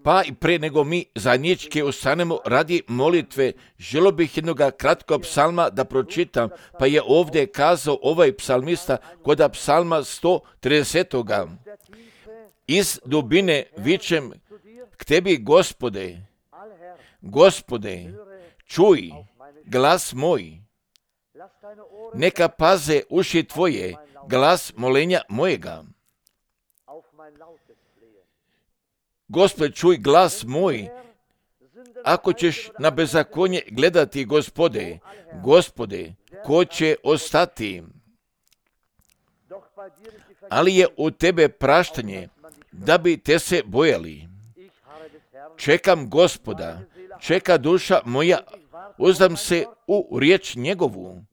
Pa i pre nego mi zajednički ustanemo radi molitve, želio bih jednog kratkog psalma da pročitam, pa je ovdje kazao ovaj psalmista kod psalma 130. Iz dubine vičem k tebi, Gospode, Gospode, čuj glas moj, neka paze uši tvoje, glas molenja mojega. Gospode, čuj glas moj, ako ćeš na bezakonje gledati, Gospode, Gospode, ko će ostati? Ali je u tebe praštanje, da bi te se bojali. Čekam Gospoda, čeka duša moja, uzdam se u riječ njegovu.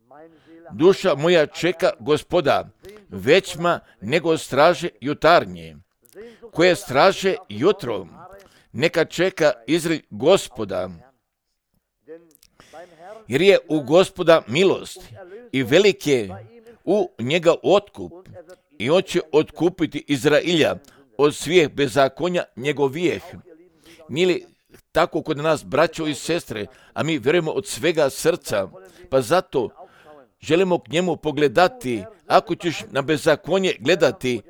Duša moja čeka Gospoda, većma nego straže jutarnje, koje straže jutrom, neka čeka izrilj Gospoda, jer je u Gospoda milost i velik je u njega otkup, i on će otkupiti Izrailja od svih bezakonja njegovijeh. Nije li tako kod nas, braćo i sestre, a mi vjerujemo od svega srca, pa zato želimo k njemu pogledati. Ako ćeš na bezakonje gledati,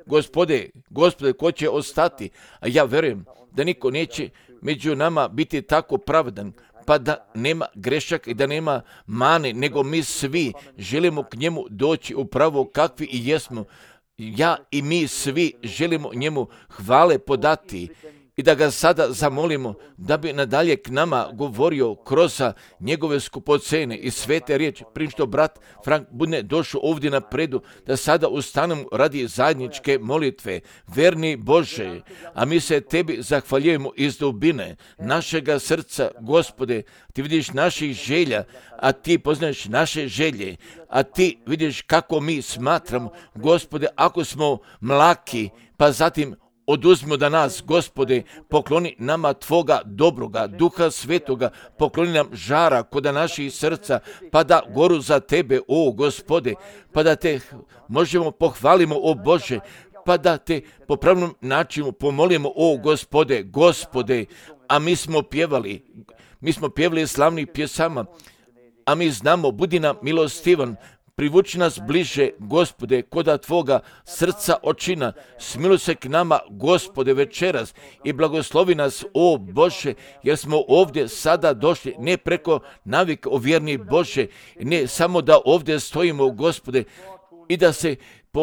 Gospode, ko će ostati? A ja vjerujem da niko neće među nama biti tako pravedan, pa da nema grešaka i da nema mane, nego mi svi želimo k njemu doći upravo kakvi i jesmo. Ja i mi svi želimo njemu hvale podati i da ga sada zamolimo da bi nadalje k nama govorio kroz njegove skupocene i svete riječi. Prije što brat Frank bude došao ovdje napredu, da sada ustanemo radi zajedničke molitve. Verni Bože, a mi se tebi zahvaljujemo iz dubine našega srca, Gospode. Ti vidiš naših želja, a ti poznaješ naše želje, a ti vidiš kako mi smatramo, Gospode, ako smo mlaki, pa zatim oduzmimo da nas, Gospode, pokloni nama Tvoga dobroga, Duha Svetoga, pokloni nam žara kod naših srca, pa da goru za Tebe, o Gospode, pa da Te možemo pohvalimo, o Bože, pa da Te po pravilnom načinu pomolimo, o Gospode, Gospode, a mi smo pjevali slavnih pjesama, a mi znamo, budi nam milostivan, privuči nas bliže, Gospode, koda Tvoga srca očina, smiluj se k nama, Gospode, večeras i blagoslovi nas, o Bože, jer smo ovdje sada došli, ne preko navika, o vjerni Bože, ne samo da ovdje stojimo, Gospode, i da se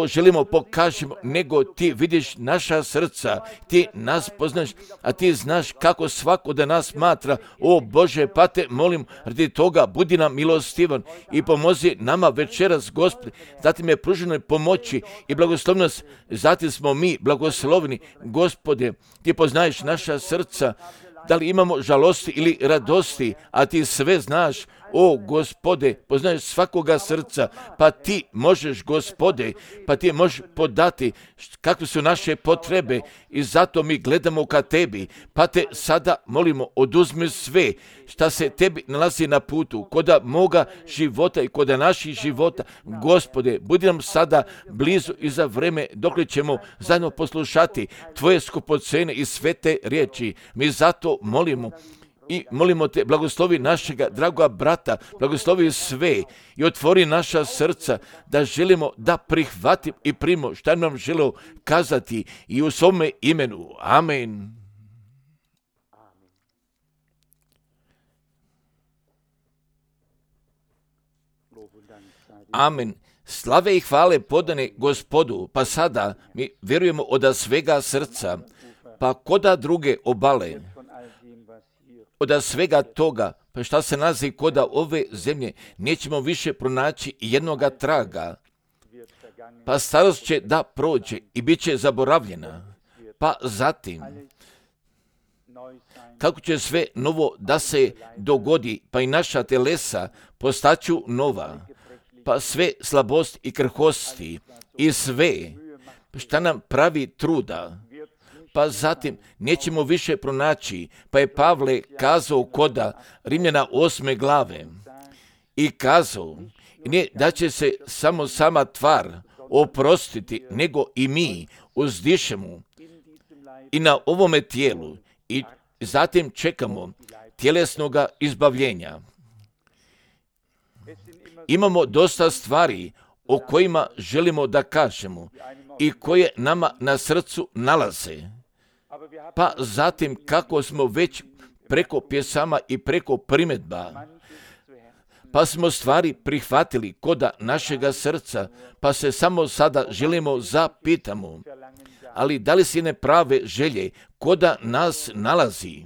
želimo pokažemo, nego Ti vidiš naša srca, Ti nas poznaš, a Ti znaš kako svako da nas smatra. O Bože, pa Te molim, radi toga budi nam milostivan i pomozi nama večeras, Gospode, zatim je pruženo pomoći i blagoslovi nas, zatim smo mi blagoslovni, Gospode, Ti poznaješ naša srca, da li imamo žalosti ili radosti, a Ti sve znaš, o Gospode, poznaješ svakoga srca, pa Ti možeš, Gospode, pa Ti možeš podati kakve su naše potrebe i zato mi gledamo ka Tebi, pa Te sada molimo, oduzmi sve šta se Tebi nalazi na putu, koda moga života i koda naših života, Gospode, budi nam sada blizu i za vreme dok ćemo zajedno poslušati Tvoje skupocene i svete riječi. Mi zato molimo i molimo Te, blagoslovi našega dragoga brata, blagoslovi sve i otvori naša srca da želimo da prihvatim i primimo šta nam želeo kazati i u svome imenu. Amen. Amen. Slave i hvale podane Gospodu, pa sada mi vjerujemo od svega srca, pa koda druge obale, od svega toga, pa šta se nalazi koda ove zemlje, nećemo više pronaći jednoga traga, pa starost će da prođe i bit će zaboravljena, pa zatim, kako će sve novo da se dogodi, pa i naša telesa postaću nova, pa sve slabost i krhosti i sve šta nam pravi truda, pa zatim nećemo više pronaći, pa je Pavle kazao koda Rimljana 8. glave i kazao, ne da će se samo sama tvar oprostiti, nego i mi uzdišemo i na ovome tijelu i zatim čekamo tjelesnoga izbavljenja. Imamo dosta stvari o kojima želimo da kažemo i koje nama na srcu nalaze. Pa zatim kako smo već preko pjesama i preko primjedba, pa smo stvari prihvatili koda našega srca, pa se samo sada želimo zapitamo, ali da li si ne prave želje koda nas nalazi?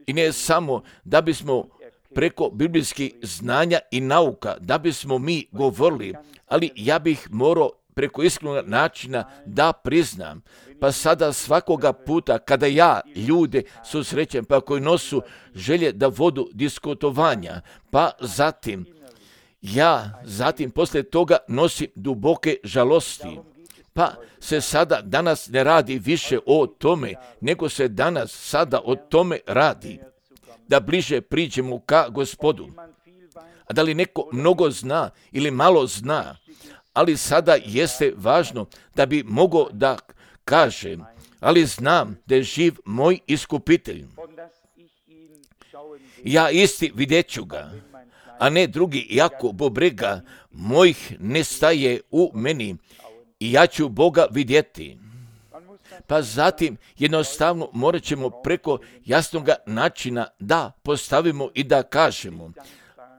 I ne samo da bismo preko biblijskih znanja i nauka, da bismo mi govorili, ali ja bih morao preko iskrenog načina da priznam. Pa sada svakoga puta kada ja ljude susrećem, pa koji nosu želje da vodu diskutovanja, pa zatim poslije toga nosim duboke žalosti. Pa se sada danas ne radi više o tome, nego se danas sada o tome radi, da bliže priđemo ka Gospodu. A da li neko mnogo zna ili malo zna, ali sada jeste važno da bi mogao da kaže, ali znam da je živ moj iskupitelj. Ja isti vidjet ću ga, a ne drugi, jako bobrega mojih ne staje u meni i ja ću Boga vidjeti. Pa zatim jednostavno morat ćemo preko jasnog načina da postavimo i da kažemo,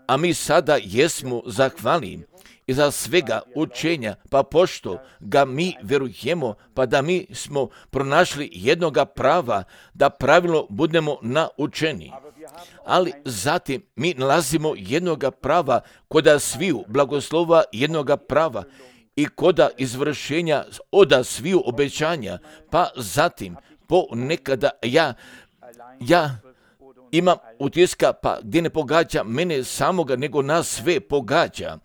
a mi sada jesmo zahvalni i za svega učenja, pa pošto ga mi vjerujemo, pa da mi smo pronašli jednoga prava da pravilno budemo naučeni. Ali zatim mi nalazimo jednoga prava koda sviju blagoslova jednoga prava i koda izvršenja oda sviju obećanja, pa zatim ponekada ja imam utiska, pa gdje ne pogađa mene samoga, nego nas sve pogađa.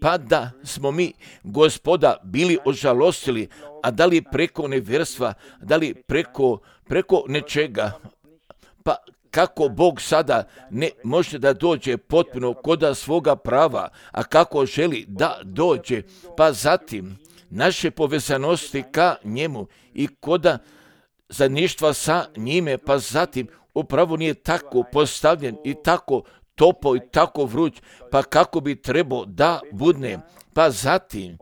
Pa da smo mi Gospoda bili ožalostili, a da li preko nevjerstva, da li preko nečega, pa kako Bog sada ne može da dođe potpuno koda svoga prava, a kako želi da dođe, pa zatim naše povezanosti ka njemu i koda zajedništva sa njime, pa zatim upravo nije tako postavljen i tako topo i tako vruć, pa kako bi trebao da budne. Pa zatim,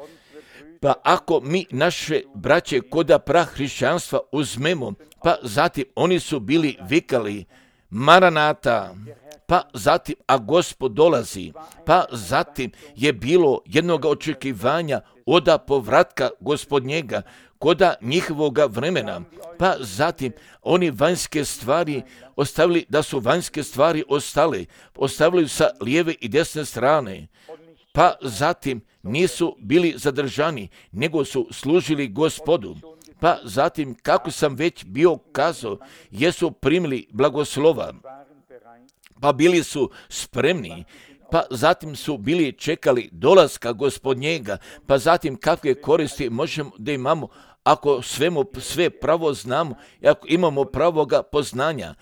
pa ako mi naše braće koda prahrišćanstva uzmemo, pa zatim oni su bili vikali Maranata, pa zatim, a Gospod dolazi, pa zatim je bilo jednog očekivanja oda povratka Gospodnjega, koda njihovoga vremena, pa zatim oni vanjske stvari ostavili, da su vanjske stvari ostavili sa lijeve i desne strane, pa zatim nisu bili zadržani, nego su služili Gospodu. Pa zatim, kako sam već bio kazao, jesu primili blagoslova, pa bili su spremni, pa zatim su bili čekali dolaska Gospodnjega, pa zatim kakve koristi možemo da imamo ako sve pravo znamo i ako imamo pravoga poznanja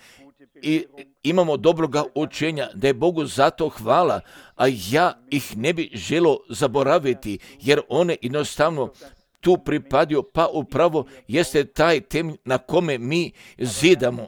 i imamo dobroga učenja, da je Bogu zato hvala, a ja ih ne bi želio zaboraviti, jer one jednostavno tu pripadio, pa upravo jeste taj temelj na kome mi zidamo,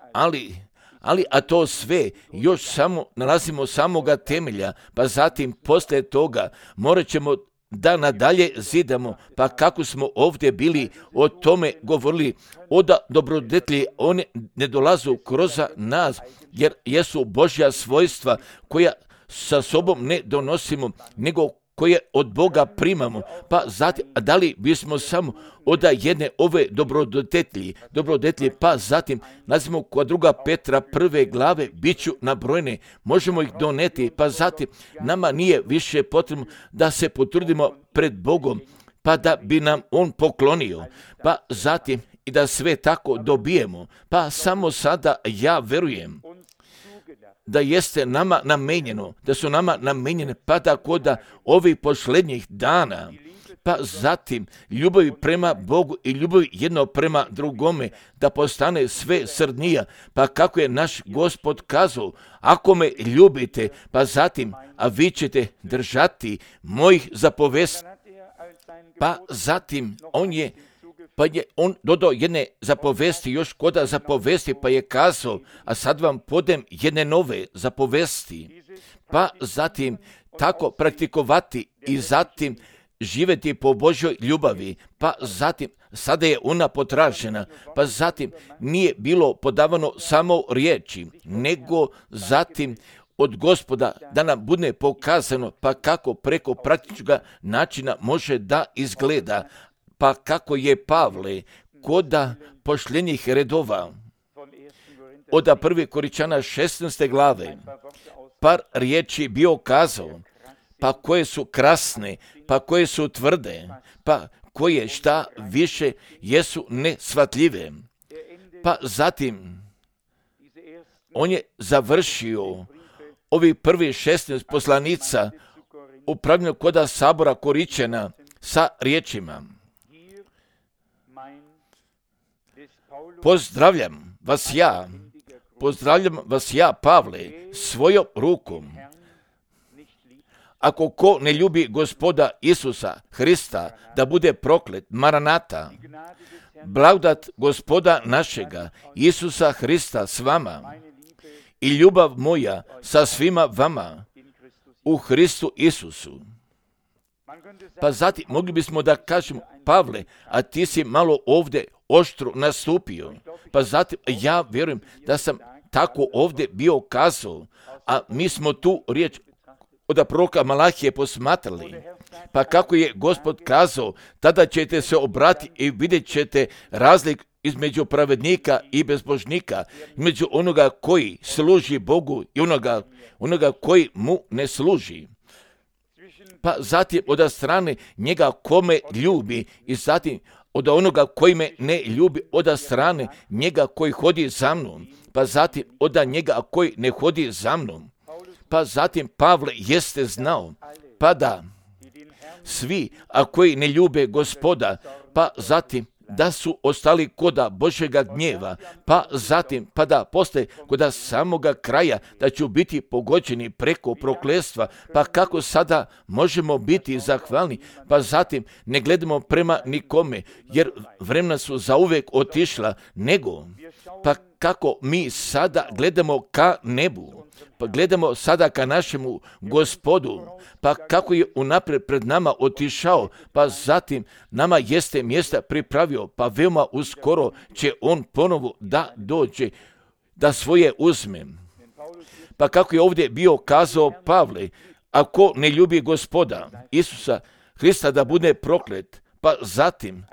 a to sve još samo nalazimo samoga temelja, pa zatim poslije toga morat ćemo da nadalje zidamo, pa kako smo ovdje bili o tome govorili, oda dobrodetlji, one ne dolazu kroz nas, jer jesu Božja svojstva koja sa sobom ne donosimo, nego koje od Boga primamo, pa zatim, a da li bismo samo oda jedne ove dobrodetlji, pa zatim, nazimo kod 2. Petra 1. glave, bit ću nabrojene, možemo ih doneti, pa zatim, nama nije više potrebno da se potrudimo pred Bogom, pa da bi nam On poklonio, pa zatim i da sve tako dobijemo, pa samo sada ja verujem da jeste nama namenjeno, da su nama namenjene, pa tako da ovih posljednjih dana, pa zatim ljubavi prema Bogu i ljubavi jedno prema drugome, da postane sve srdnija, pa kako je naš Gospod kazao, ako me ljubite, pa zatim, a vi ćete držati mojih zapovesti. Pa zatim on je Pa je on dodao jedne zapovesti, još koda zapovesti, pa je kazao, a sad vam podem jedne nove zapovesti. Pa zatim tako praktikovati i zatim živjeti po Božjoj ljubavi, pa zatim sada je ona potražena, pa zatim nije bilo podavano samo riječi, nego zatim od Gospoda da nam bude pokazano pa kako preko praktičnog načina može da izgleda, pa kako je Pavle koda pošljenih redova od 1. Korinčana 16. glave par riječi bio kazao, pa koje su krasne, pa koje su tvrde, pa koje šta više jesu nesvatljive. Pa zatim on je završio ovih prvih 16 poslanica upravljeno koda sabora Koričana sa riječima: pozdravljam vas ja, Pavle, svojom rukom. Ako ko ne ljubi Gospoda Isusa Hrista, da bude proklet. Maranata. Blagodat Gospoda našega Isusa Hrista s vama i ljubav moja sa svima vama u Hristu Isusu. Pa zatim mogli bismo da kažemo, Pavle, a ti si malo ovdje oštro nastupio. Pa zatim ja vjerujem da sam tako ovdje bio kazao, a mi smo tu riječ od proroka Malahije posmatrali. Pa kako je Gospod kazao, tada ćete se obratiti i vidjet ćete razlik između pravednika i bezbožnika, između onoga koji služi Bogu i onoga koji mu ne služi. Pa zatim od strane njega kome ljubi i zatim od onoga koji me ne ljubi, od strane njega koji hodi za mnom, pa zatim od njega koji ne hodi za mnom. Pa zatim Pavle jeste znao, pa da svi, a koji ne ljube Gospoda, pa zatim da su ostali koda Božjega gnjeva, pa zatim, pa da postaje koda samoga kraja, da će biti pogođeni preko prokletstva, pa kako sada možemo biti zahvalni, pa zatim ne gledamo prema nikome, jer vremena su zauvek otišla, nego, pa kako mi sada gledamo ka nebu, pa gledamo sada ka našemu Gospodu, pa kako je unaprijed pred nama otišao, pa zatim nama jeste mjesta pripravio, pa veoma uskoro će on ponovo da dođe, da svoje uzme. Pa kako je ovdje bio kazao Pavle, ako ne ljubi Gospoda Isusa Hrista, da bude proklet, pa zatim,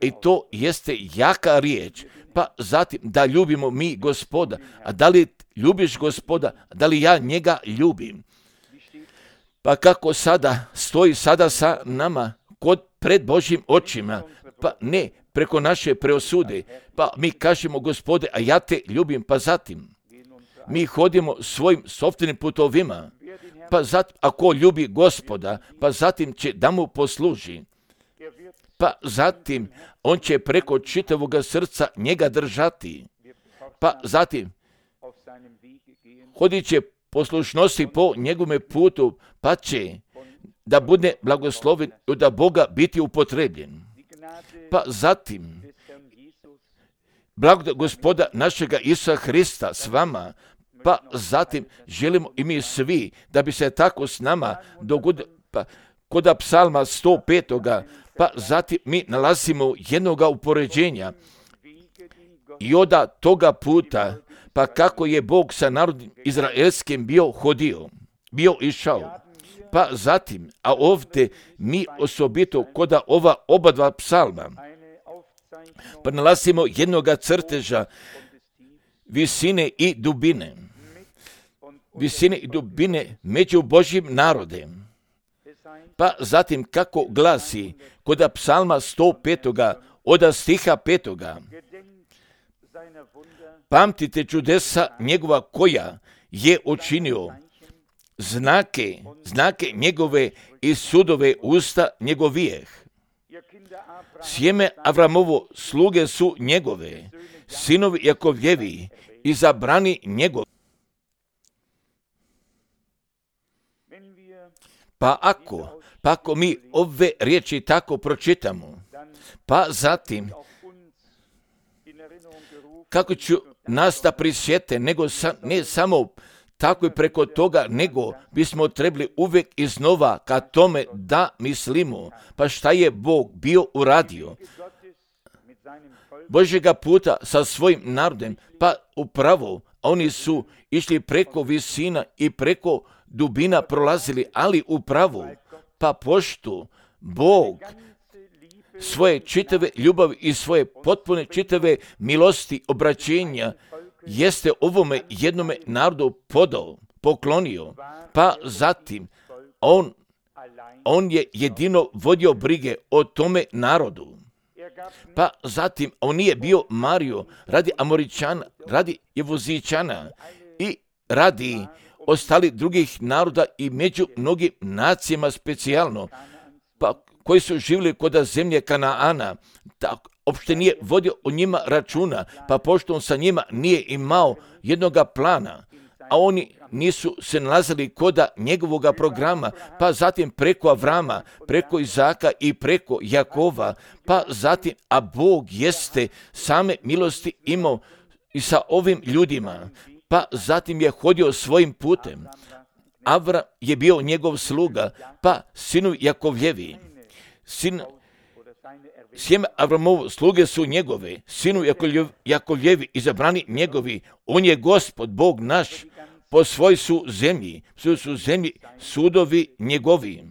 i to jeste jaka riječ, pa zatim da ljubimo mi Gospoda. A da li ljubiš Gospoda? Da li ja njega ljubim? Pa kako sada stoji sada sa nama pred Božjim očima, pa ne preko naše preosude, pa mi kažemo, Gospode, a ja te ljubim, pa zatim mi hodimo svojim sopstvenim putovima, pa zatim ako ljubi Gospoda, pa zatim će da mu posluži. Pa zatim on će preko čitavoga srca njega držati. Pa zatim hodit će poslušnosti po njegovome putu, pa će da bude blagosloven i da Boga biti upotrebljen. Pa zatim blagodat Gospoda našega Isusa Hrista s vama, pa zatim želimo i mi svi da bi se tako s nama dogodilo. Pa koda psalma 105. Pa zatim mi nalazimo jednoga upoređenja i od toga puta, pa kako je Bog sa narodom izraelskim bio išao. Pa zatim, a ovdje mi osobito koda ova oba dva psalma, pa nalazimo jednoga crteža visine i dubine. Visine i dubine među Božjim narodem. Pa zatim kako glasi koda psalma 105. od stiha 5. Pamtite čudesa njegova koja je učinio, znake njegove i sudove usta njegovijeh. Sjeme Avramovo sluge su njegove, sinovi Jakovljevi izabrani njegov. Pa ako mi ove riječi tako pročitamo, Pa zatim, kako ću nas da prisjete, ne samo tako i preko toga, nego bismo trebali uvijek iznova ka tome da mislimo, pa šta je Bog bio uradio Božjega puta sa svojim narodem, pa upravo oni su išli preko visina i preko dubina prolazili, ali upravo, pa pošto Bog svoje čitave ljubavi i svoje potpune čitave milosti, obraćenja, jeste ovome jednome narodu poklonio, pa zatim on je jedino vodio brige o tome narodu. Pa zatim on nije bio mario radi Amoričana, radi Jevuzičana i radi ostali drugih naroda i među mnogim nacijama specijalno, pa koji su živjeli kod zemlje Kanaana, uopšte nije vodio o njima računa, pa pošto on sa njima nije imao jednoga plana, a oni nisu se nalazili kod njegovoga programa, pa zatim preko Avrama, preko Izaka i preko Jakova, pa zatim, a Bog jeste same milosti imao i sa ovim ljudima, pa zatim je hodio svojim putem. Avram je bio njegov sluga, pa sinu Jakovljevi. Sjeme Avramovo sluge su njegove, sinu Jakovljevi izabrani njegovi, on je Gospod, Bog naš, po svoj su zemlji sudovi njegovi.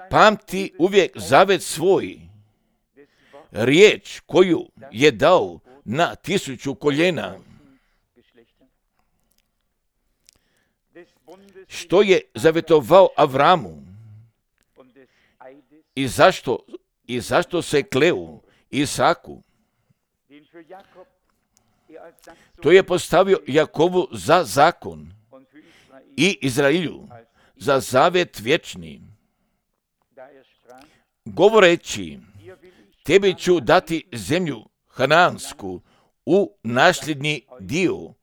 Pamti uvijek zavet svoj, riječ koju je dao na 1000 koljena, što je zavetovao Avramu i zašto se kleo Isaku. To je postavio Jakovu za zakon i Izraelju za zavet vječni, govoreći, tebi ću dati zemlju Hanansku u nasljednji dio.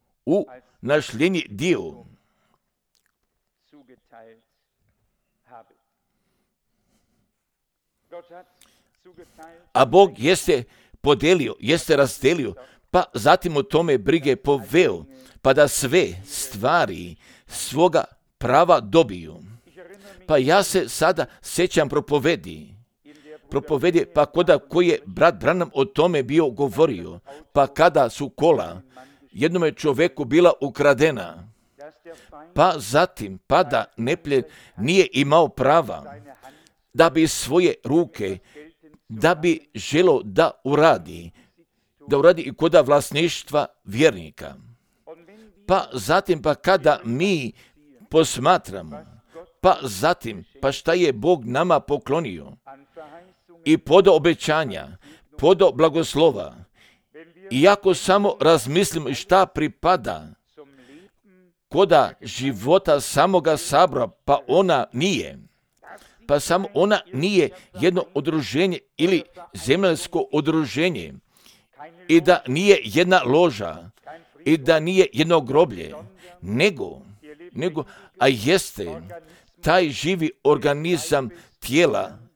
A Bog jeste podelio, jeste razdelio, pa zatim o tome brige poveo, pa da sve stvari svoga prava dobiju. Pa ja se sada sjećam propovedi, pa koji je brat Branham o tome bio govorio, pa kada su kola jednome čovjeku bila ukradena, pa zatim, pa da neprijatelj nije imao prava, da bi svoje ruke, da bi želo da uradi i kod vlasništva vjernika. Pa zatim, pa kada mi posmatramo, pa zatim, pa šta je Bog nama poklonio i podo obećanja, podo blagoslova, iako samo razmislimo šta pripada koda života samoga sabora, pa ona nije. Pa samo ona nije jedno udruženje ili zemaljsko udruženje, i da nije jedna loža, i da nije jedno groblje, nego, a jeste taj živi organizam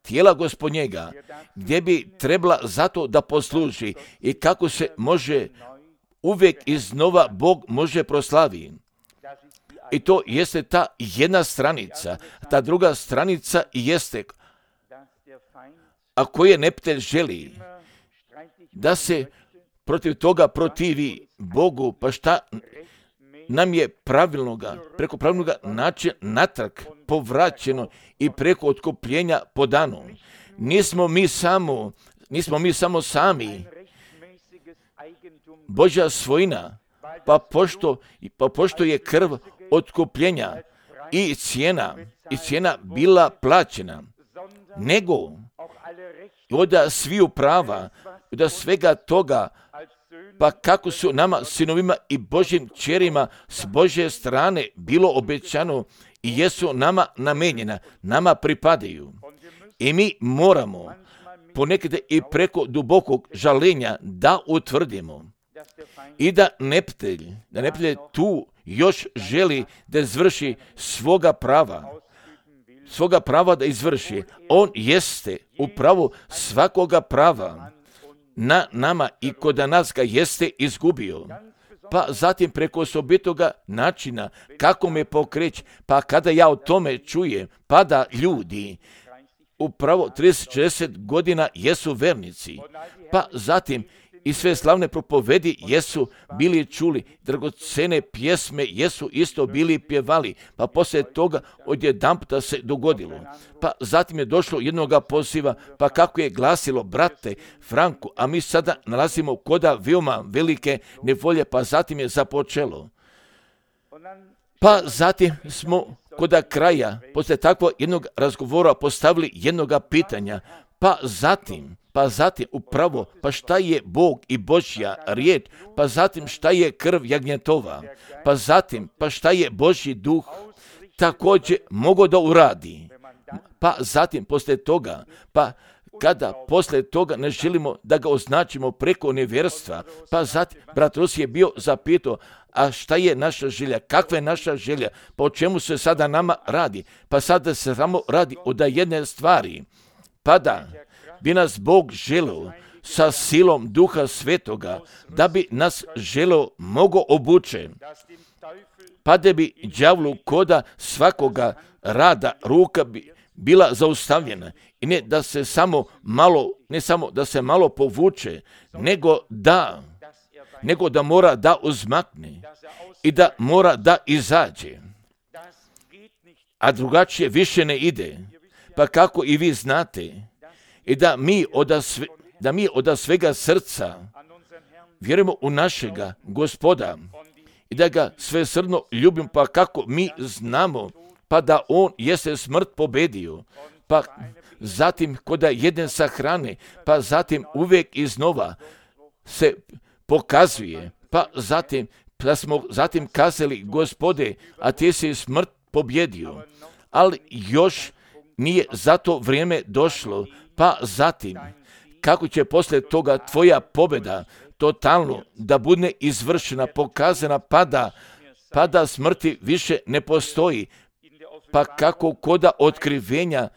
tijela Gospodnjega, gdje bi trebala zato da posluži i kako se može uvijek iznova Bog može proslaviti. I to jeste ta jedna stranica, ta druga stranica jeste, a koje neprijatelj želi da se protiv toga protivi Bogu, pa šta nam je preko pravilnoga načina natrag povraćeno i preko otkupljenja podano. Nismo mi samo sami Božja svojina, pa pošto je krv otkupljenja i cijena bila plaćena, nego od sviju prava, od svega toga, pa kako su nama sinovima i Božjim čerima s Božje strane bilo obećano i jesu nama namenjena, nama pripadaju. I mi moramo ponekad i preko dubokog žalenja da utvrdimo i da neprijatelj tu još želi da izvrši svoga prava, svoga prava da izvrši. On jeste upravo svakoga prava na nama i kod nas ga jeste izgubio. Pa zatim preko osobitoga načina kako me pokreće, pa kada ja o tome čujem, pa da ljudi upravo 30-60 godina jesu vernici, pa zatim i sve slavne propovedi jesu bili čuli, dragocene pjesme jesu isto bili pjevali, pa poslije toga odjedanputa se dogodilo. Pa zatim je došlo jednoga poziva, pa kako je glasilo, brate Franku, a mi sada nalazimo koda veoma velike nevolje, pa zatim je započelo. Pa zatim smo koda kraja, poslije takvog jednog razgovora postavili jednoga pitanja, pa zatim upravo, pa šta je Bog i Božja riječ, pa zatim šta je krv jagnjetova, pa zatim, pa šta je Božji duh također mogao da uradi. Pa zatim poslije toga, pa kada poslije toga ne želimo da ga označimo preko nevjerstva, pa zatim brat Rus je bio zapitao, a šta je naša želja, kakva je naša želja, pa o čemu se sada nama radi, pa sada se samo radi o da jedne stvari, pa da bi nas Bog želio sa silom Duha Svetoga, da bi nas želio mogo obuče, pa da bi đavlu koda svakoga rada ruka bi bila zaustavljena i ne samo da se malo povuče, nego da mora da uzmakne i da mora da izađe, a drugačije više ne ide. Pa kako i vi znate, i da mi od svega srca vjerujemo u našega Gospoda i da ga svesrdno ljubimo, pa kako mi znamo, pa da on jeste smrt pobedio, pa zatim koda jedne sa hrane, pa zatim uvijek iznova se pokazuje, pa smo zatim kazali, Gospode, a ti si smrt pobjedio, ali još nije za to vrijeme došlo, pa zatim kako će poslije toga tvoja pobjeda totalno da bude izvršena, pokazana, pa da smrti više ne postoji, pa kako koda otkrivenja,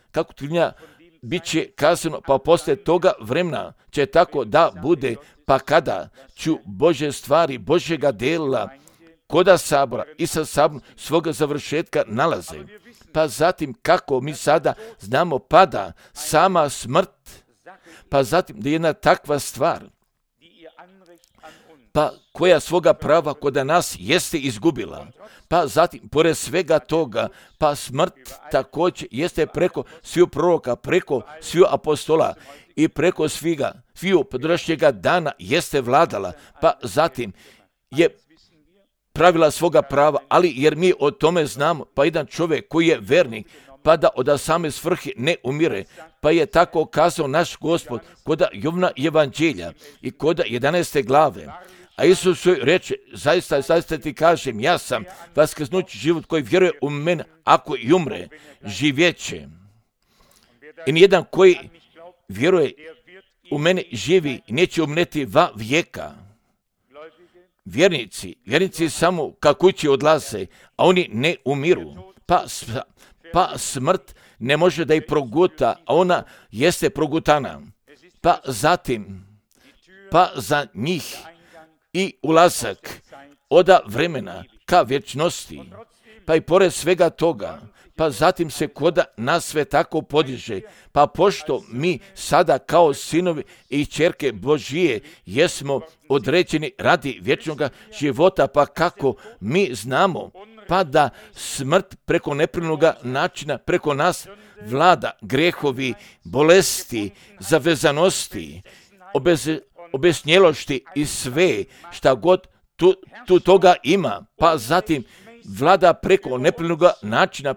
bit će kazano, pa poslije toga vremena će tako da bude, pa kada ću Božje stvari, Božjega dela koda sabora i sa saborom svoga završetka nalaze. Pa zatim kako mi sada znamo, pada sama smrt, pa zatim da je jedna takva stvar, pa koja svoga prava koda nas jeste izgubila, pa zatim pored svega toga, pa smrt također jeste preko sviju proroka, preko sviju apostola i preko sviju podrašnjega dana jeste vladala, pa zatim je pravila svoga prava, ali jer mi o tome znamo, pa jedan čovjek koji je vernik, pa da od same svrhe ne umire, pa je tako kazao naš Gospod koda Jovna evanđelja i koda 11. glave. A Isus reče, zaista ti kažem, ja sam vaskrsnući život koji vjeruje u mene, ako i umre, živjeće. I nijedan koji vjeruje u mene živi i neće umreti va vijeka. Vjernici samo ka kući odlaze, a oni ne umiru. Pa smrt ne može da ih proguta, a ona jeste progutana. Pa zatim, pa za njih i ulazak oda vremena ka vječnosti, pa i pored svega toga, pa zatim se koda nas sve tako podiže, pa pošto mi sada kao sinovi i ćerke Božije jesmo određeni radi vječnog života, pa kako mi znamo, pa da smrt preko neprirodnoga načina preko nas vlada grehovi, bolesti, zavezanosti, obesnjelošti i sve šta god tu toga ima, pa zatim vlada preko neprirodnoga načina,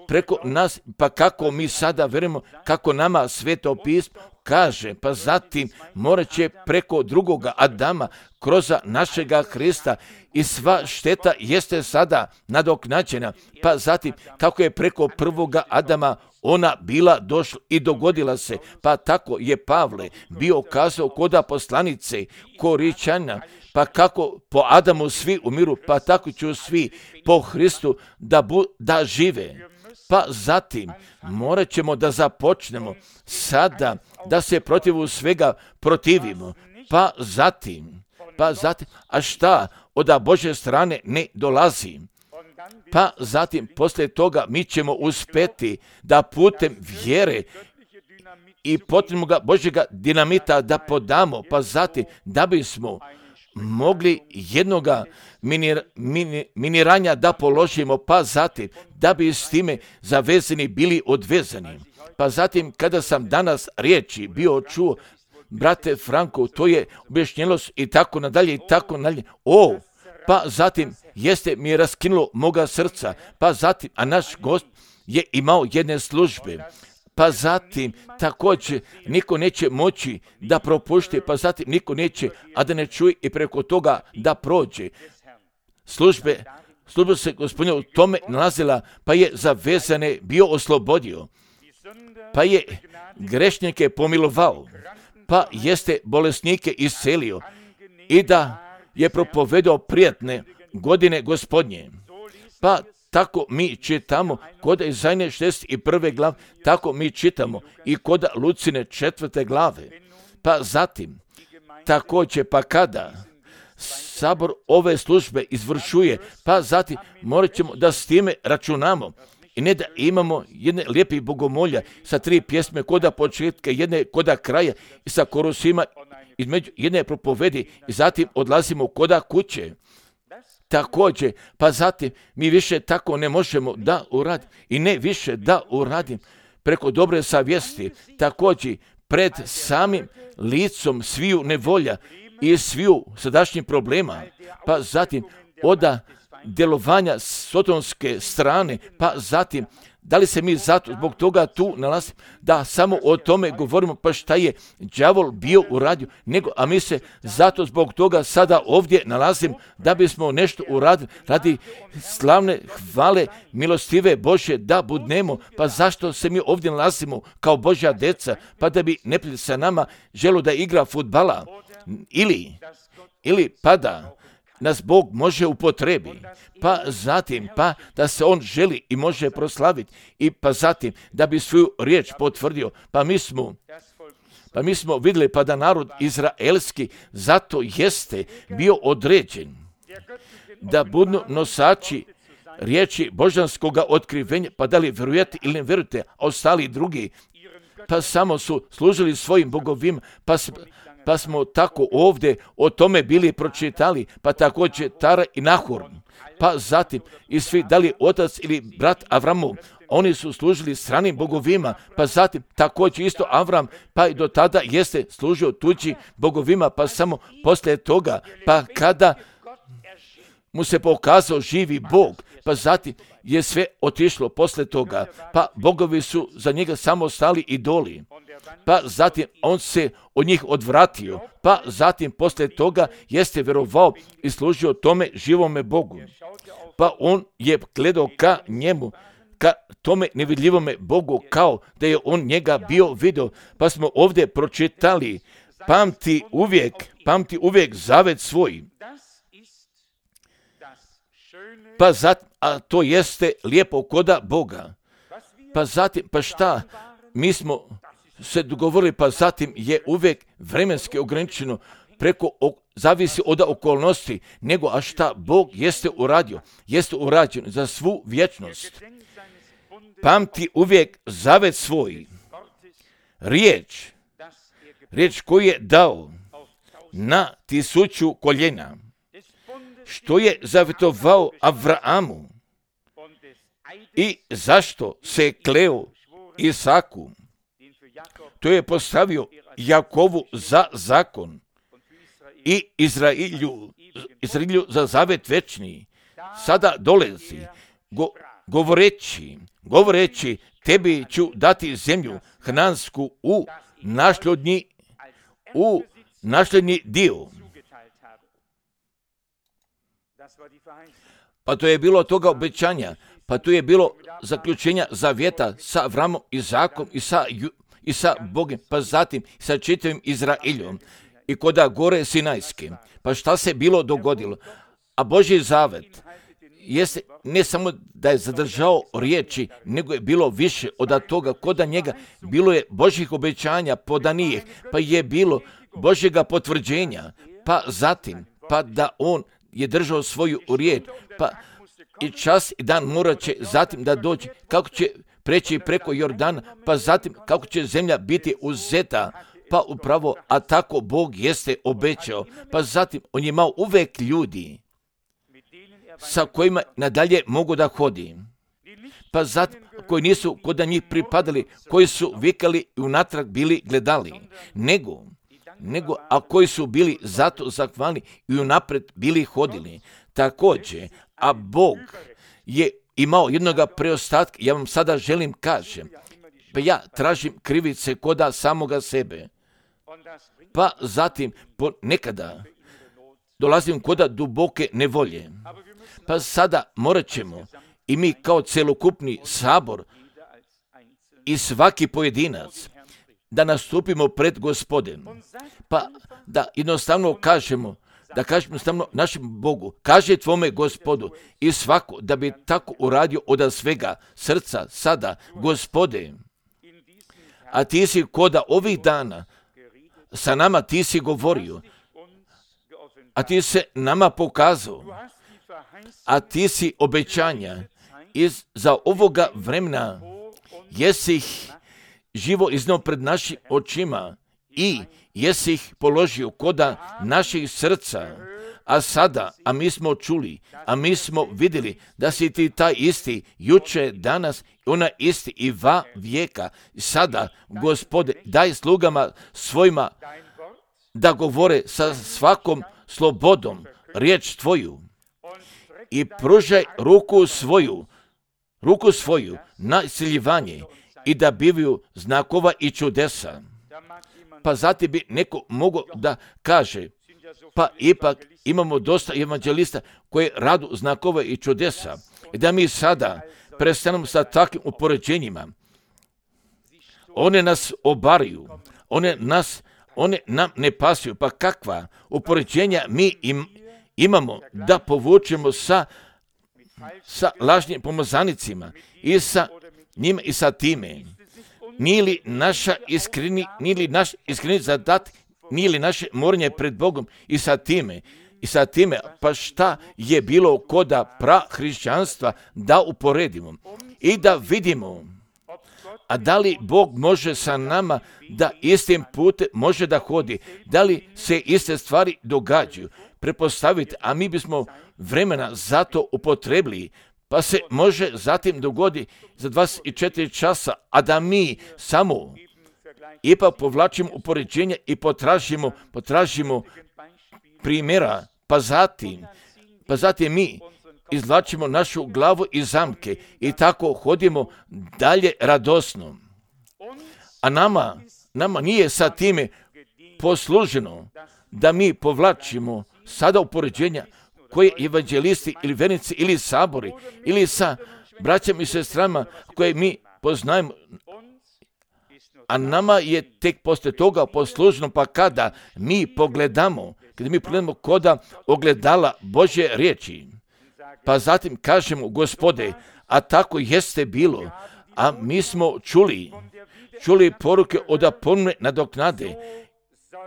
preko nas, pa kako mi sada verujemo, kako nama Sveto pismo kaže, pa zatim morat će preko drugoga Adama, kroz našega Hrista i sva šteta jeste sada nadoknađena, pa zatim kako je preko prvoga Adama ona bila došla i dogodila se, pa tako je Pavle bio kazao koda poslanice Koričana, pa kako po Adamu svi umiru, pa tako ću svi po Hristu da žive. Pa zatim morat ćemo da započnemo sada da se protivu svega protivimo. Pa zatim, a šta od Božje strane ne dolazi? Pa zatim, poslije toga mi ćemo uspjeti da putem vjere i potrebnoga Božjega dinamita da podamo, pa zatim da bismo mogli jednoga miniranja da položimo, pa zatim da bi s time zavezani bili odvezani. Pa zatim kada sam danas riječi bio čuo, brate Franko, to je objašnjelost i tako nadalje i tako nadalje. Pa zatim jeste mi je raskinulo moga srca, pa zatim, a naš gost je imao jedne službe, pa zatim također niko neće moći da propušte, pa zatim niko neće, a da ne čuje i preko toga da prođe. Služba se Gospodina u tome nalazila, pa je zavezane bio oslobodio, pa je grešnike pomilovao, pa jeste bolesnike iscelio i da je propovedao prijatne godine Gospodnje. Pa tako mi čitamo kod Izajne 61. glave, tako mi čitamo i kod Lucine 4. glave. Pa zatim, također pa kada sabor ove službe izvršuje, pa zatim morat ćemo da s time računamo. I ne da imamo jedne lijepe bogomolja sa 3 pjesme koda početka, jedne koda kraja i sa korusima između jedne propovedi i zatim odlazimo koda kuće. Također, pa zatim mi više tako ne možemo da uradim i ne više da uradim preko dobre savjesti, također pred samim licom sviju nevolja i sviju sadašnjih problema, pa zatim od djelovanja sotonske strane, pa zatim da li se mi zato zbog toga tu nalazimo da samo o tome govorimo, pa šta je đavol bio uradio, nego, a mi se zato zbog toga sada ovdje nalazimo da bismo nešto uradili radi slavne hvale milostive Božje da budnemo, pa zašto se mi ovdje nalazimo kao Božja deca, pa da bi neprijatelj sa nama želio da igra fudbala ili pa da nas Bog može upotrebi, pa zatim pa da se on želi i može proslaviti i pa zatim da bi svoju riječ potvrdio, pa mi smo vidjeli pa da narod izraelski zato jeste bio određen da budu nosači riječi božanskoga otkrivenja, pa da li vjerujete ili ne vjerujete, a ostali drugi pa samo su služili svojim bogovima, pa smo tako ovdje o tome bili pročitali, pa također Tara i Nahor, pa zatim i svi, da li otac ili brat Avramu, oni su služili stranim bogovima, pa zatim također isto Avram, pa i do tada jeste služio tuđi bogovima, pa samo poslije toga, pa kada mu se pokazao živi Bog, pa zatim je sve otišlo poslije toga, pa bogovi su za njega samo stali idoli, pa zatim on se od njih odvratio, pa zatim poslije toga jeste vjerovao i služio tome živome Bogu, pa on je gledao ka njemu, ka tome nevidljivome Bogu, kao da je on njega bio vidio, pa smo ovdje pročitali, pamti uvijek zavet svoj, pa zatim, a to jeste lijepo koda Boga, pa zatim, pa šta, mi smo se dogovorili, pa zatim je uvijek vremenski ograničeno, zavisi od okolnosti, nego a šta Bog jeste urađen za svu vječnost. Pamti uvijek zavet svoj, riječ koju je dao na 1000 koljena, što je zavjetovao Avraamu i zašto se kleo Isaku. To je postavio Jakovu za zakon i Izraelju za zavet večni. Sada dolazi govoreći tebi ću dati zemlju hnansku u nasljedni dio. Pa to je bilo toga obećanja, pa to je bilo zaključenja zavjeta sa Avramom, Izakom i sa Bogom, pa zatim sa čitavim Izraeljom i koda gore Sinajske. Pa šta se bilo dogodilo? A Božji zavet jeste ne samo da je zadržao riječi, nego je bilo više od toga. Kod njega bilo je Božjih obećanja podanijih, pa je bilo Božjega potvrđenja, pa zatim, pa da on je držao svoju riječ, pa i čas i dan morat će zatim da dođe, kako će preći preko Jordana, pa zatim kako će zemlja biti uzeta, pa upravo, a tako Bog jeste obećao, pa zatim on je imao uvek ljudi sa kojima nadalje mogu da hodi, pa zatim koji nisu kod njih pripadali, koji su vikali i unatrag bili gledali, nego a koji su bili zato zahvalni i unapred bili hodili. Također, a Bog je imao jednoga preostatka, ja vam sada želim kažem, pa ja tražim krivice koda samoga sebe, pa zatim nekada dolazim koda duboke nevolje, pa sada morat ćemo i mi kao celokupni sabor i svaki pojedinac da nastupimo pred Gospodem, pa da jednostavno kažemo, jednostavno našem Bogu, kaže tvome Gospodu i svako da bi tako uradio od svega srca sada, Gospode, a ti si koda ovih dana sa nama ti si govorio, a ti se nama pokazao, a ti si obećanja za ovoga vremena jesi ih živo iznio pred našim očima i jesi ih položio koda naših srca, a sada, a mi smo čuli, a mi smo vidjeli da si ti taj isti juče, danas i ona isti i va vijeka. Sada, Gospode, daj slugama svojima da govore sa svakom slobodom riječ tvoju i pružaj ruku svoju na isciljivanje i da bivaju znakova i čudesa. Pa zatim bi neko mogao da kaže, pa ipak imamo dosta evanđelista koji radu znakova i čudesa. I da mi sada prestanemo sa takvim upoređenjima. One nas obaraju, one nam ne pasuju, pa kakva upoređenja mi imamo da povučemo sa lažnim pomazanicima i sa njima i sa time. Nije li naš iskreni zadatak, nije li naše morenje pred Bogom i sa time, pa šta je bilo koda prahrišćanstva da uporedimo i da vidimo, a da li Bog može sa nama da istim putem može da hodi, da li se iste stvari događaju, prepostaviti, a mi bismo vremena za to upotrebili, pa se može zatim dogodi za 24 časa, a da mi samo ipak povlačimo upoređenja i potražimo primjera, pa zatim mi izvlačimo našu glavu iz zamke i tako hodimo dalje radosno. A nama nije sa time posluženo da mi povlačimo sada upoređenja koje evanđelisti ili vernici ili sabori ili sa braćama i sestrama koje mi poznajemo, a nama je tek poslije toga posluženo, pa kada mi pogledamo koda ogledala Božje riječi, pa zatim kažemo, Gospode, a tako jeste bilo, a mi smo čuli poruke od ponovne nadoknade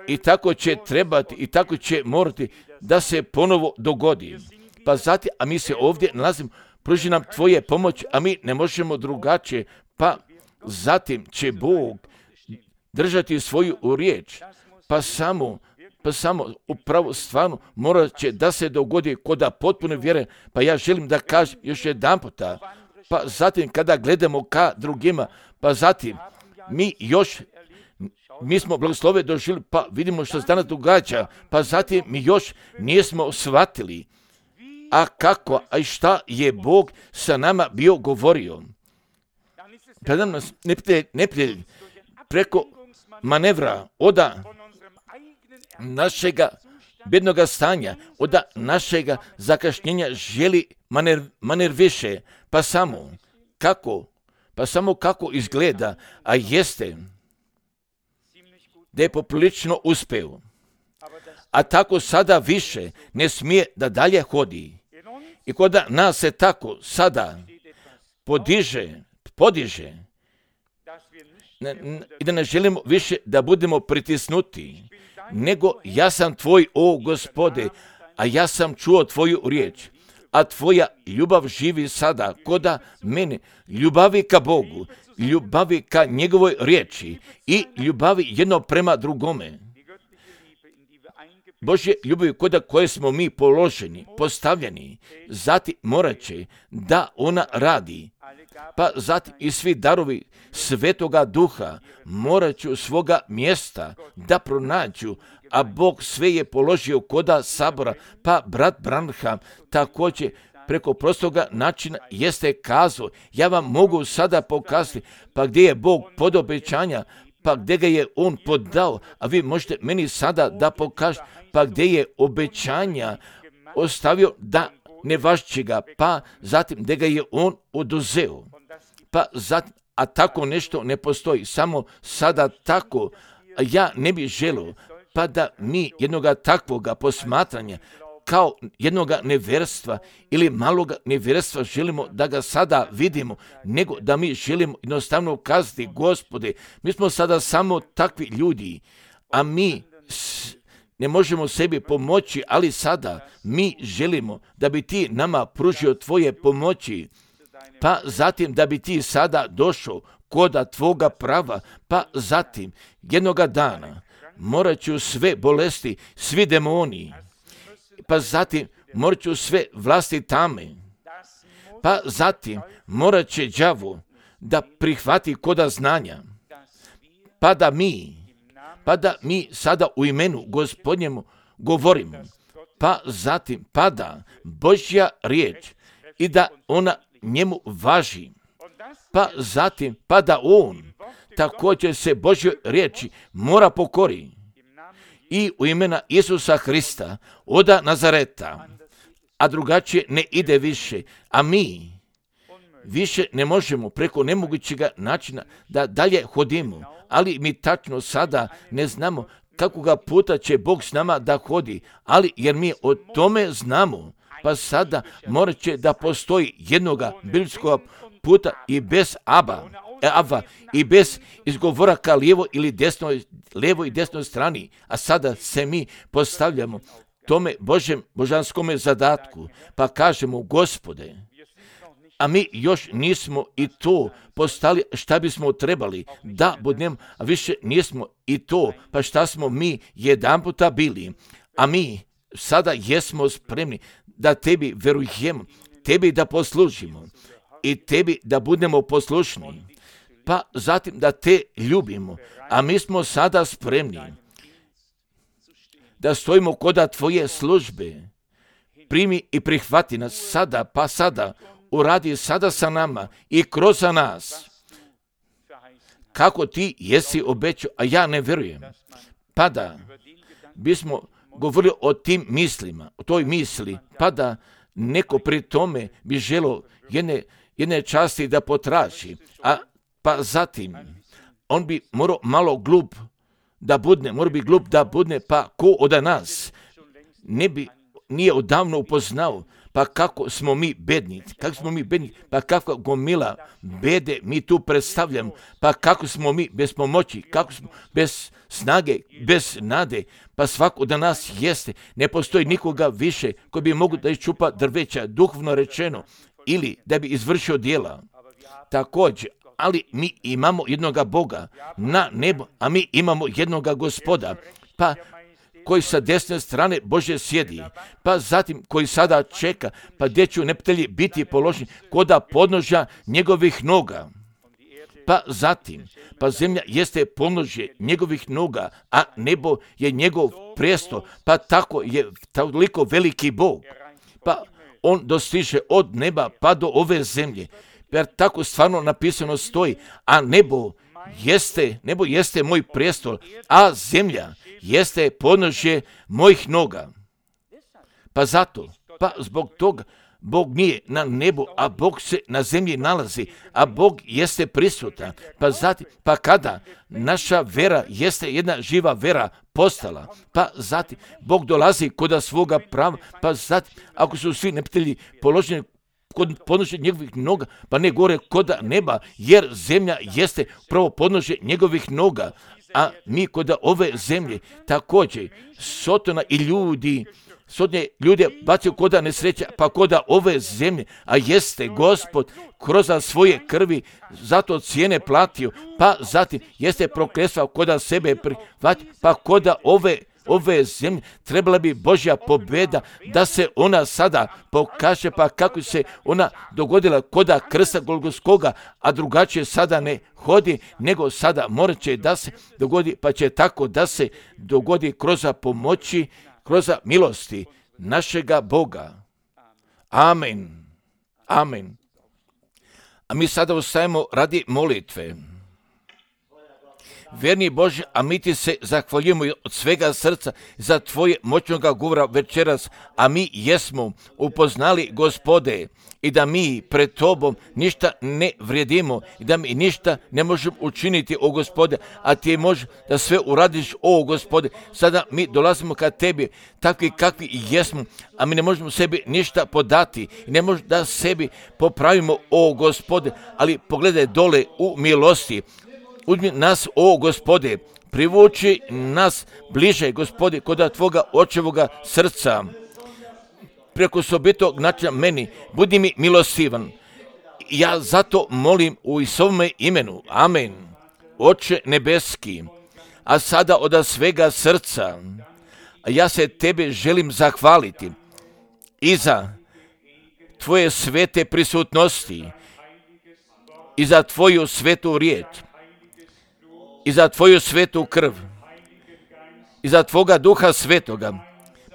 i tako će trebati i tako će morati da se ponovo dogodi. Pa zatim, a mi se ovdje nalazimo, pruži nam tvoje pomoć, a mi ne možemo drugačije, pa zatim će Bog držati svoju riječ, pa samo upravo stvarno morat će da se dogodi koda potpune vjere, pa ja želim da kažem još jedan puta, pa zatim kada gledamo ka drugima, pa zatim mi smo blagoslove doživjeli, pa vidimo što se danas događa, pa zatim mi još nismo shvatili, a kako, a šta je Bog sa nama bio govorio. Predam nas neprijatelj preko manevra od našega bednoga stanja, od našega zakašnjenja želi manerviše, pa samo kako izgleda, a jeste da je poprilično uspeo, a tako sada više ne smije da dalje hodi. I kod nas se tako sada podiže. I da ne želimo više da budemo pritisnuti, nego ja sam tvoj, o Gospode, a ja sam čuo tvoju riječ, a tvoja ljubav živi sada koda mene, ljubavi ka Bogu, ljubavi ka njegovoj riječi i ljubavi jedno prema drugome. Božje ljubavi koda koje smo mi položeni, postavljeni, zatim morat će da ona radi, pa zatim i svi darovi Svetoga Duha morat će svoga mjesta da pronađu, a Bog sve je položio koda sabora, pa brat Branham također preko prostoga načina jeste kazao, ja vam mogu sada pokazati, pa gdje je Bog pod obećanja, pa gdje ga je on podao, a vi možete meni sada da pokažete, pa gdje je obećanja ostavio da ne važi ga, pa zatim gdje ga je on oduzeo. Pa zatim, a tako nešto ne postoji, samo sada tako, ja ne bih želio, pa da mi jednoga takvoga posmatranja, kao jednoga nevjerstva ili maloga nevjerstva želimo da ga sada vidimo, nego da mi želimo jednostavno kazati, Gospode, mi smo sada samo takvi ljudi, a mi ne možemo sebi pomoći, ali sada mi želimo da bi ti nama pružio tvoje pomoći, pa zatim da bi ti sada došao koda tvoga prava, pa zatim jednoga dana morat ću sve bolesti, svi demoni, pa zatim morat ću sve vlasti tame, pa zatim morat će đavo da prihvati koda znanja, pa da mi sada u imenu Gospodnjemu govorimo, pa zatim pada Božja riječ i da ona njemu važi, pa zatim pada on također se Božjoj riječi mora pokori i u imena Isusa Hrista oda Nazareta, a drugačije ne ide više, a mi više ne možemo preko nemogućega načina da dalje hodimo, ali mi tačno sada ne znamo kakoga puta će Bog s nama da hodi, ali jer mi o tome znamo, pa sada morat će da postoji jednoga biblijskog puta i bez Ava i bez izgovora ka lijevo i desnoj strani, a sada se mi postavljamo tome božanskome zadatku, pa kažemo, Gospode, a mi još nismo i to postali šta bismo trebali da budemo, a više nismo i to, pa šta smo mi jedan puta bili, a mi sada jesmo spremni da tebi verujemo, tebi da poslužimo i tebi da budemo poslušni, pa zatim da te ljubimo, a mi smo sada spremni da stojimo koda tvoje službe. Primi i prihvati nas sada, pa sada uradi sada sa nama i kroz nas, kako ti jesi obećao, a ja ne vjerujem, pa da bismo govorili o tim mislima, o toj misli, pa da neko pri tome bi želio jedne časti da potraži, a pa zatim on bi morao malo glup da budne, pa ko od nas nije odavno upoznao, pa kako smo mi bedni, pa kakva gomila bede mi tu predstavljamo, pa kako smo mi bez pomoći, kako smo bez snage, bez nade, pa svako od nas jeste, ne postoji nikoga više koji bi mogu da iščupa drveća, duhovno rečeno, ili da bi izvršio djela. Također, ali mi imamo jednoga Boga na nebu, a mi imamo jednoga Gospoda, pa koji sa desne strane Bože sjedi, pa zatim koji sada čeka, pa gdje će neprijatelji biti položeni koda podnožja njegovih noga. Pa zatim, pa zemlja jeste podnožje njegovih noga, a nebo je njegov prijestol, pa tako je toliko veliki Bog. Pa on dostiže od neba pa do ove zemlje, jer tako stvarno napisano stoji, a nebo jeste moj prijestol, a zemlja jeste podnožje mojih noga. Pa zato, pa zbog toga, Bog nije na nebu, a Bog se na zemlji nalazi, a Bog jeste prisutan. Pa zatim, pa kada naša vera jeste jedna živa vera, postala. Pa zatim, Bog dolazi kod svoga prava, pa zatim, ako su svi neprijatelji položeni kod podnošenja njegovih noga, pa ne gore kod neba, jer zemlja jeste pravo podnošenje njegovih noga, a mi kod ove zemlje također Sotona i Sotne ljude bacio koda nesreća, pa koda ove zemlje, a jeste Gospod kroz svoje krvi zato cijene platio, pa zatim jeste prokletstvo koda sebe prihvatio, pa koda ove zemlje trebala bi Božja pobjeda da se ona sada pokaže, pa kako se ona dogodila koda krsta Golgotskoga, a drugačije sada ne hodi, nego sada morat će da se dogodi, pa će tako da se dogodi kroz pomoći, kroz milosti našega Boga. Amen. Amen. A mi sada ostajemo radi molitve. Verni Bože, a mi ti se zahvaljujemo od svega srca za tvoje moćnoga govora večeras, a mi jesmo upoznali, Gospode, i da mi pred tobom ništa ne vrijedimo i da mi ništa ne možemo učiniti, o Gospode, a ti možeš da sve uradiš, o Gospode. Sada mi dolazimo ka tebi takvi kakvi jesmo, a mi ne možemo sebi ništa podati i ne možemo da sebi popravimo, o Gospode, ali pogledaj dole u milosti. Uzmi nas, o Gospode, privuči nas bliže, Gospode, kod tvoga očevoga srca. Preko sobitog načina meni, budi mi milostivan. Ja zato molim u Isovome imenu. Amen. Oče nebeski, a sada od svega srca, ja se tebe želim zahvaliti i za tvoje svete prisutnosti i za tvoju svetu riječ i za tvoju svetu krv i za tvoga duha svetoga.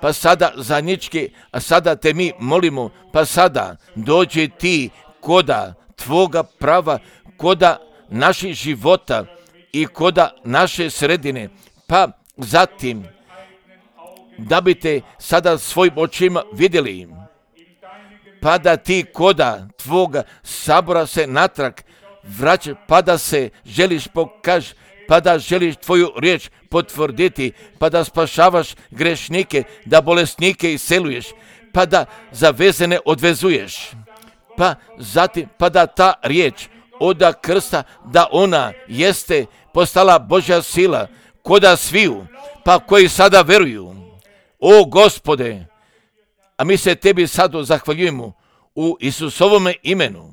Pa sada zajednički, a sada te mi molimo, pa sada dođi ti koda tvoga prava, koda naših života i koda naše sredine, pa zatim da bi te sada svojim očima vidjeli, pa da ti koda tvoga sabora se natrag vraća, pa da se želiš pokaži, pa da želiš tvoju riječ potvrditi, pa da spašavaš grešnike, da bolesnike iseluješ, pa da zavezene odvezuješ, pa zatim, pa da ta riječ od krsta, da ona jeste postala Božja sila koda sviju, pa koji sada veruju. O Gospode, a mi se tebi sad zahvaljujemo u Isusovome imenu.